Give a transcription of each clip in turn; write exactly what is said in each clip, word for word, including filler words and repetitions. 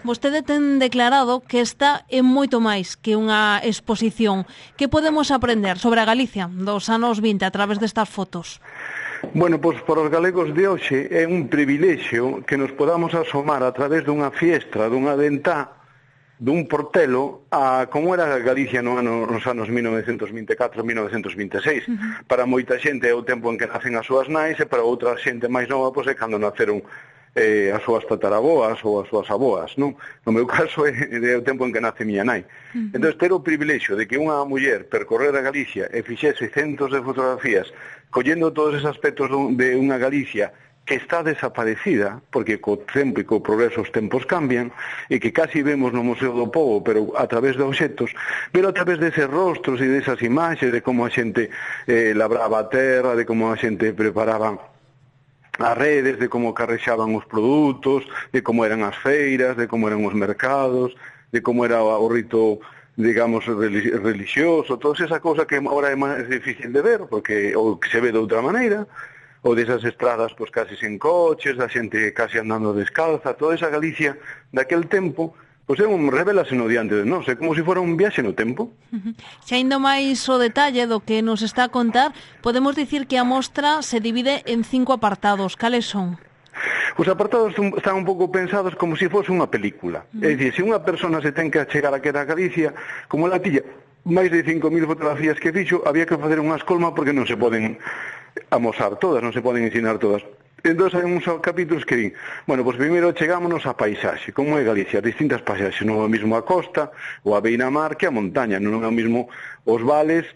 Vostede ten declarado que esta é moito máis que unha exposición. Que podemos aprender sobre a Galicia dos anos vinte a través destas fotos? Bueno, pois para os galegos de hoxe é un privilexio que nos podamos asomar a través dunha fiestra, dunha dentá, dun portelo a como era Galicia no ano, nos anos mil novecentos vinte e catro a mil novecentos vinte e seis. Uh-huh. Para moita xente é o tempo en que nacen as súas nais e para outra xente máis nova pois é cando naceron eh, as súas tataraboas ou as súas aboas, non? No meu caso é, é o tempo en que nace miña nai. Uh-huh. Entón, ter o privilexio de que unha muller percorrera Galicia e fixese centos de fotografías collendo todos esos aspectos de unha Galicia que está desaparecida, porque co tempo e co progreso os tempos cambian, e que casi vemos no Museo do Pobo, pero a través de obxectos, pero a través deses rostros e desas imaxes, de como a xente eh, labraba a terra, de como a xente preparaba as redes, de como carrexaban os produtos, de como eran as feiras, de como eran os mercados, de como era o rito, digamos, religioso, toda esa cosa que agora é máis difícil de ver, porque ou que se ve de outra maneira, ou desas estradas pois casi sen coches, da xente casi andando descalza, toda esa Galicia daquel tempo, pois é un revélase no diante de nós, é como se fora un viaxe no tempo. Uh-huh. Se ainda máis o detalle do que nos está a contar, podemos dicir que a mostra se divide en cinco apartados. Cales son? Os apartados están un pouco pensados como se fose unha película. Uh-huh. É dicir, se unha persona se ten que achegar a que era Galicia, como la tilla máis de cinco mil fotografías que fixo, había que facer unha escolma porque non se poden amosar todas, non se poden ensinar todas. Entón, hai uns capítulos que din, bueno, pois primeiro chegámonos a paisaxe, como é Galicia, distintas paisaxes, non é o mesmo a costa, ou a beira-mar que a montaña, non é o mesmo os vales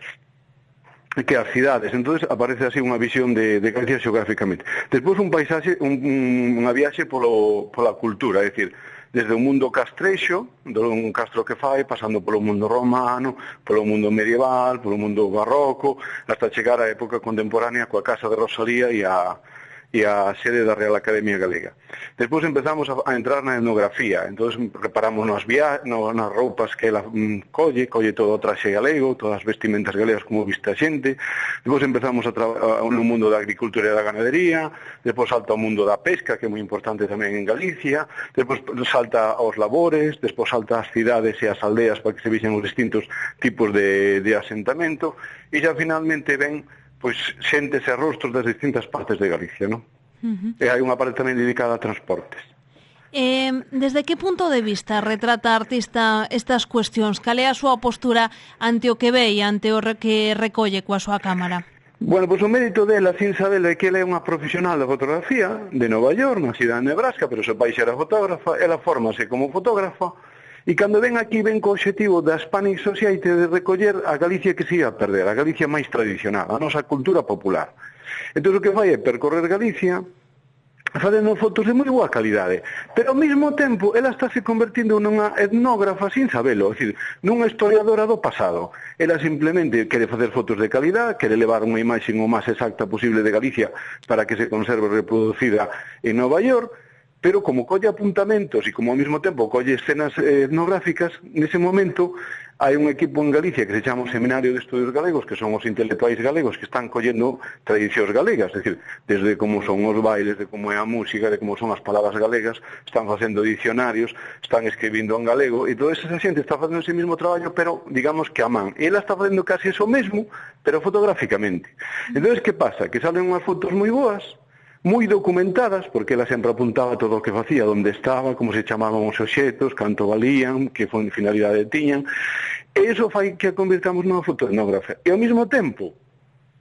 que as cidades. Entón, aparece así unha visión de, de Galicia xeográficamente. Despois un paisaxe, un, un, unha viaxe polo, pola cultura, é dicir, desde o mundo castrexo, do un castro que fai, pasando polo mundo romano, polo mundo medieval, polo mundo barroco, hasta chegar á época contemporánea coa Casa de Rosalía e a e a sede da Real Academia Galega. Despois empezamos a, a entrar na etnografía, entón reparamos nas, via, no, nas roupas que ela mm, colle, colle todo o traxe galego, todas as vestimentas galegas como viste a xente, despois empezamos a, a, no mundo da agricultura e da ganadería, despois salta o mundo da pesca, que é moi importante tamén en Galicia, despois salta aos labores, despois salta as cidades e as aldeas para que se vexen os distintos tipos de, de asentamento, e xa finalmente ven pois xentes e rostros das distintas partes de Galicia, non? Uh-huh. E hai unha parte tamén dedicada a transportes. Eh, desde que punto de vista retrata a artista estas cuestións? Cal é a súa postura ante o que ve e ante o que recolle coa súa cámara? Bueno, pois o mérito dela, sin saber, é que ela é unha profesional da fotografía de Nova York, na cidade de Nebraska, pero o seu pai era fotógrafa, ela fórmase como fotógrafa, e cando ven aquí ven co obxectivo da Hispanic Society de recoller a Galicia que se ia a perder, a Galicia máis tradicional, a nosa cultura popular. Entón o que fai é percorrer Galicia facendo fotos de moi boa calidade, pero ao mesmo tempo ela está se convertindo nunha etnógrafa sin sabelo, é dicir, nunha historiadora do pasado. Ela simplemente quere facer fotos de calidad, quere levar unha imaxe o máis exacta posible de Galicia para que se conserve reproducida en Nova York, pero como colle apuntamentos e como ao mesmo tempo colle escenas etnográficas, nese momento hai un equipo en Galicia que se chama o Seminario de Estudios Galegos, que son os intelectuais galegos que están collendo tradicións galegas, é dicir, desde como son os bailes, de como é a música, de como son as palabras galegas, están facendo dicionarios, están escribindo en galego, e toda esa xente está facendo ese mesmo traballo, pero digamos que a man. E ela está facendo casi eso mesmo, pero fotográficamente. Entón, que pasa? Que salen unhas fotos moi boas, moi documentadas, porque ela sempre apuntaba todo o que facía, onde estaba, como se chamaban os obxectos, canto valían, que finalidade tiñan, e iso fai que a convirtamos nunha fotoetnógrafa. E ao mesmo tempo,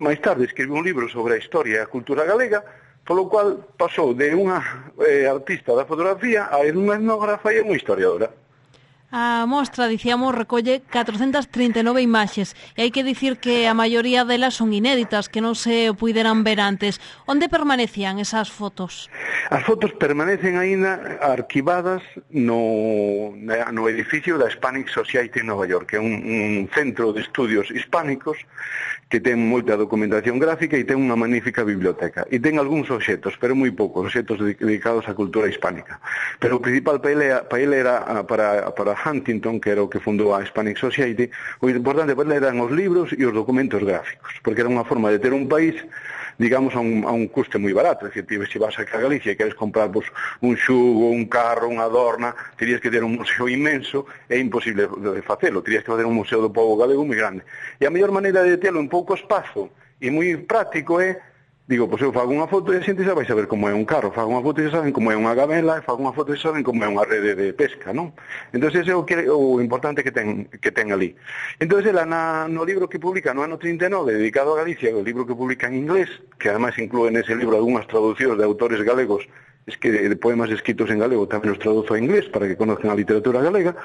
máis tarde escribiu un libro sobre a historia e a cultura galega, polo cual pasou de unha eh, artista da fotografía a unha etnógrafa e unha historiadora. A mostra, dicíamos, recolle catrocentas trinta e nove imaxes e hai que dicir que a maioría delas son inéditas, que non se puderan ver antes. Onde permanecían esas fotos? As fotos permanecen aínda arquivadas no, no edificio da Hispanic Society en Nova York, que é un, un centro de estudios hispánicos que ten moita documentación gráfica e ten unha magnífica biblioteca. E ten algúns obxectos, pero moi poucos, obxectos dedicados á cultura hispánica. Pero o principal para ele, para ele era para, para Huntington, que era o que fundou a Hispanic Society, o importante para ele eran os libros e os documentos gráficos, porque era unha forma de ter un país, digamos, a un, a un custe moi barato. É dicir, se vas aquí a Galicia e queres comprar pues, un xugo, un carro, unha adorna, terías que ter un museo inmenso, é imposible de facelo, terías que fazer un museo do povo galego moi grande. E a mellor maneira de telo en pouco espazo e moi práctico é, digo, pois eu fago unha foto e a xente xa vai saber como é un carro, fago unha foto e xa saben como é unha gamela, e fago unha foto e xa saben como é unha rede de pesca, non? Entón, ese é o, que, o importante que ten, que ten ali. Entón, ela na, no libro que publica no ano trinta e nove, dedicado a Galicia, o libro que publica en inglés, que ademais inclúe nese libro algunhas traducións de autores galegos, es que de, de poemas escritos en galego tamén os traduzo a inglés para que conozcan a literatura galega,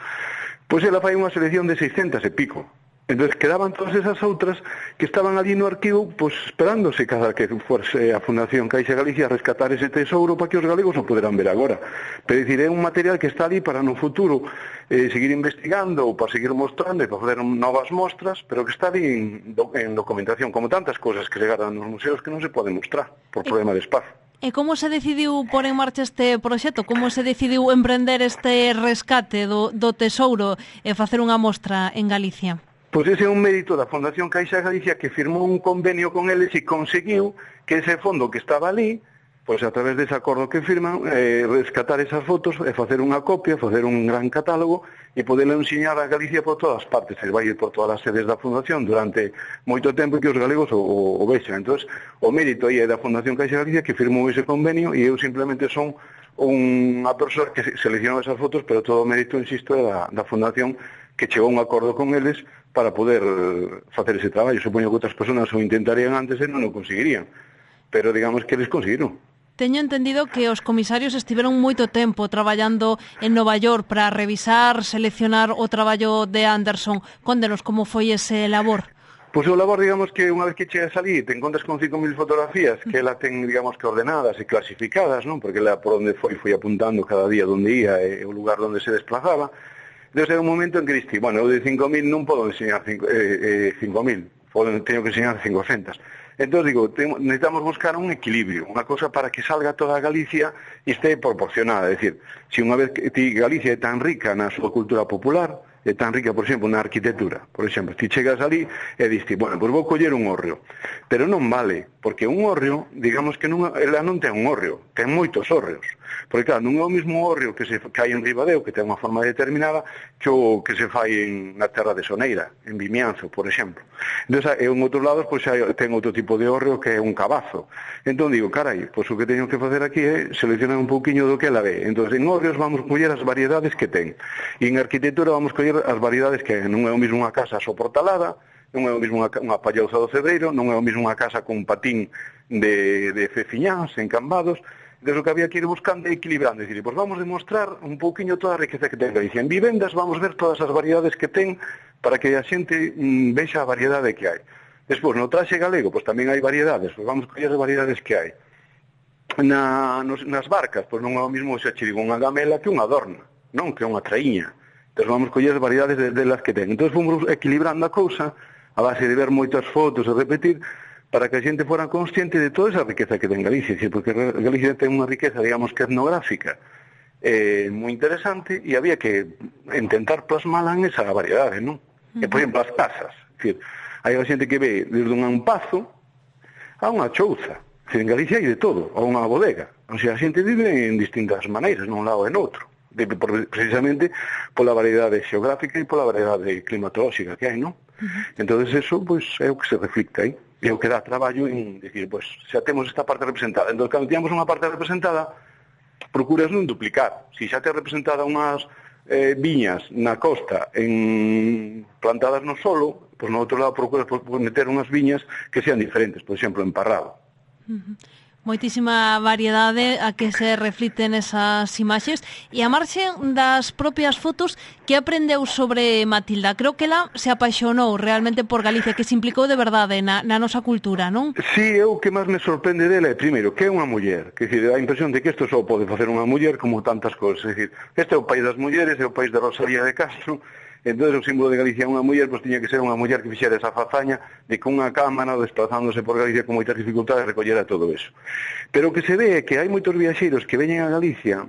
pois ela fai unha selección de seiscentas e pico. Entón, quedaban todas esas outras que estaban ali no arquivo, pois, esperándose cada que fuese a Fundación Caixa Galicia a rescatar ese tesouro para que os galegos o poderán ver agora. Pero, dicir, é un material que está ali para no futuro eh, seguir investigando ou para seguir mostrando e para fazer novas mostras, pero que está ali en, en documentación, como tantas cosas que se gardan nos museos que non se poden mostrar por problema de espazo. E como se decidiu pôr en marcha este proxecto? Como se decidiu emprender este rescate do, do tesouro e facer unha mostra en Galicia? Pois ese é un mérito da Fundación Caixa Galicia, que firmou un convenio con eles e conseguiu que ese fondo que estaba ali, pois a través dese acordo que firman, eh, rescatar esas fotos e facer unha copia, facer un gran catálogo e poderlo ensiñar a Galicia por todas partes. Se vai ir por todas as sedes da Fundación durante moito tempo que os galegos o, o, o vexan. Entón, o mérito aí é da Fundación Caixa Galicia, que firmou ese convenio, e eu simplemente son unha persoa que seleccionou esas fotos, pero todo o mérito, insisto, é da, da Fundación, que chegou a un acordo con eles para poder facer ese traballo. Supoño que outras persoas o intentarían antes e non o conseguirían, pero digamos que eles conseguiron. Teño entendido que os comisarios estiveron moito tempo traballando en Nova York para revisar, seleccionar o traballo de Anderson. Condenos como foi ese labor. Pois o labor, digamos, que unha vez que chegas ali te encontras con cinco mil fotografías que ela ten, digamos, que ordenadas e clasificadas, non? Porque ela por onde foi, foi apuntando cada día onde ia e o lugar onde se desplazaba. Entón, era un momento en que diste, bueno, eu de cinco mil non podo enseñar cinco mil, teño que enseñar cincocentas. Entón, digo, necesitamos buscar un equilibrio, unha cosa para que salga toda Galicia e este proporcionada. É dicir, se unha vez que ti, Galicia é tan rica na súa cultura popular, é tan rica, por exemplo, na arquitectura. Por exemplo, ti chegas ali e diste, bueno, pois vou coller un hórreo. Pero non vale, porque un hórreo, digamos que non, ela non ten un hórreo, ten moitos hórreos. Porque, claro, non é o mesmo hórreo que se que hai en Ribadeo, que ten unha forma determinada, que o que se fai en, na terra de Soneira, en Vimianzo, por exemplo. Entón, en outros lados, pois, hai, ten outro tipo de hórreo que é un cabazo. Entón, digo, carai, pois o que teño que facer aquí é seleccionar un pouquiño do que ela ve. Entón, en hórreos vamos coller as variedades que ten. E en arquitectura vamos coller as variedades que non é o mesmo unha casa soportalada, non é o mesmo unha, unha pallouza do Cebreiro, non é o mesmo unha casa con patín de, de feciñáns, encambados. Entón, o que había que ir buscando e equilibrando, é dicir, pois vamos demostrar un pouquiño toda a riqueza que ten Galicia. En vivendas vamos ver todas as variedades que ten para que a xente mm, vexa a variedade que hai. Despois, no traxe galego, pois tamén hai variedades, pois vamos coller as variedades que hai. Na, nos, nas barcas, pois non é o mesmo xa che digo unha gamela que unha adorna, non que unha traíña. Entón vamos coller as variedades de, de las que ten. Entón fomos equilibrando a cousa a base de ver moitas fotos e repetir, para que a xente fora consciente de toda esa riqueza que ten Galicia, porque Galicia ten unha riqueza, digamos, que etnográfica eh, moi interesante, e había que intentar plasmala en esa variedade, non? Uh-huh. E, por exemplo, as casas, é dicir, hai a xente que ve desde un pazo a unha chouza, é dicir, en Galicia hai de todo, a unha bodega, o sea, a xente vive en distintas maneiras, nun lado e noutro, de, por, precisamente pola variedade xeográfica e pola variedade climatolóxica que hai, non? Uh-huh. Entón, eso, pois, é o que se reflicta aí. E o que dá traballo en decir, pois, xa temos esta parte representada. Entón, cando tiñamos unha parte representada, procuras non duplicar. Se xa te representada unhas eh, viñas na costa en plantadas no solo, pois no outro lado procuras meter unhas viñas que sean diferentes, por exemplo, en Parrado. Uh-huh. Moitísima variedade a que se refliten esas imaxes, e a marxe das propias fotos, que aprendeu sobre Matilda? Creo que ela se apaixonou realmente por Galicia, que se implicou de verdade na, na nosa cultura, non? Sí, é o que máis me sorprende dela é, primeiro, que é unha muller, que dicir, a impresión de que isto só pode facer unha muller como tantas cousas, é dicir, este é o país das mulleres, é o país de Rosalía de Castro. Entón, o símbolo de Galicia é unha muller, pois tiña que ser unha muller que fixera esa fazaña de que unha cámara, desplazándose por Galicia con moitas dificultades, recollera todo eso. Pero o que se ve é que hai moitos viaxeiros que veñen a Galicia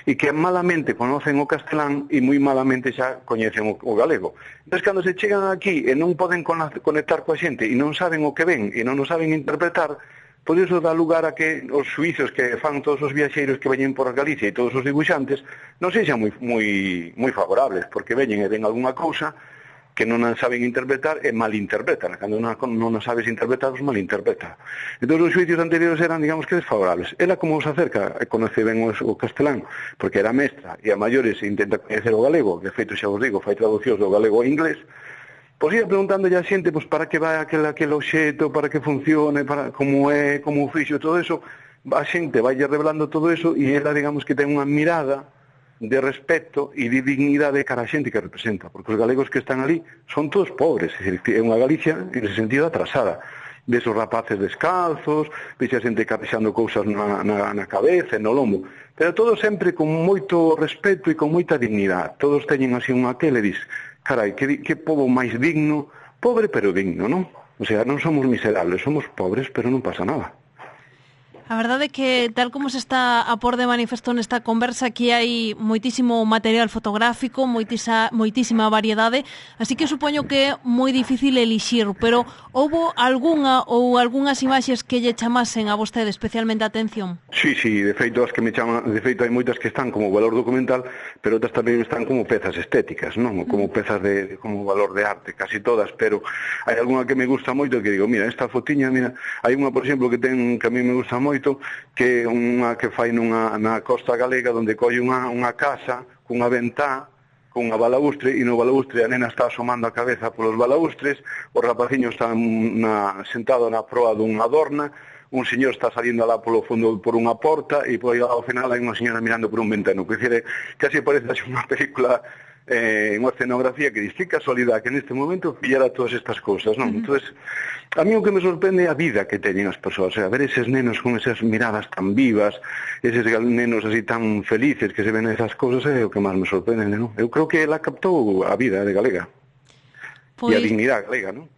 e que malamente conocen o castelán e moi malamente xa coñecen o, o galego. Entón, cando se chegan aquí e non poden conectar coa xente e non saben o que ven e non o saben interpretar, por iso dá lugar a que os suizos que fan todos os viaxeiros que veñen por Galicia e todos os dibuixantes non sexan moi, moi, moi favorables, porque veñen e ven algunha cousa que non a saben interpretar e malinterpretan. Cando non, non a sabes interpretar, os malinterpreta. Entón, os xuicios anteriores eran, digamos que, desfavorables. Ela, como os acerca, conoce ben o, o castelán, porque era mestra, e a maiores intenta coñecer o galego, que, de feito, xa vos digo, fai traducións do galego ao inglés, pois ia preguntando a xente, pois, para que vai aquel, aquel obxeto, para que funcione, para como é, como o fixo, todo eso, a xente vai revelando todo eso, e ela, digamos, que ten unha mirada de respeto e de dignidade cara a xente que representa, porque os galegos que están ali son todos pobres, é, dicir, é unha Galicia en ese sentido atrasada, ves os rapaces descalzos, ves a xente carrexando cousas na, na, na cabeza e no lombo, pero todos sempre con moito respeto e con moita dignidade, todos teñen así unha que le dis, carai, que, que pobo máis digno, pobre pero digno, non? O sea, non somos miserables, somos pobres, pero non pasa nada. A verdade é que, tal como se está a por de manifesto nesta conversa, aquí hai moitísimo material fotográfico, moitisa, moitísima variedade, así que supoño que é moi difícil elixir, pero houbo algunha ou algunhas imaxes que lle chamasen a vostede especialmente a atención? Sí, sí, de feito, as que me chaman, de feito hai moitas que están como valor documental, pero outras tamén están como pezas estéticas, non? Como pezas de, como valor de arte, casi todas, pero hai algunha que me gusta moito que digo, mira, esta fotiña, mira, hai unha, por exemplo, que ten que a mí me gusta moito, que é unha que fai nunha, na costa galega onde colle unha, unha casa cunha ventá, cunha balaustre, e no balaustre a nena está asomando a cabeza polos balaustres, o rapaciño está na, sentado na proa dunha adorna, un señor está salindo alá polo fondo por unha porta e por aí ao final hai unha señora mirando por un ventano, que decir, casi parece unha película, eh, unha escenografía que diz, que casualidade que neste momento pillara todas estas cousas, non? Uh -huh. Entonces, a mí o que me sorprende é a vida que teñen as persoas, o sea, ver eses nenos con esas miradas tan vivas, eses nenos así tan felices que se ven esas cousas, é o que máis me sorprende, non? Eu creo que ela captou a vida de galega, pois... e a dignidade galega, non?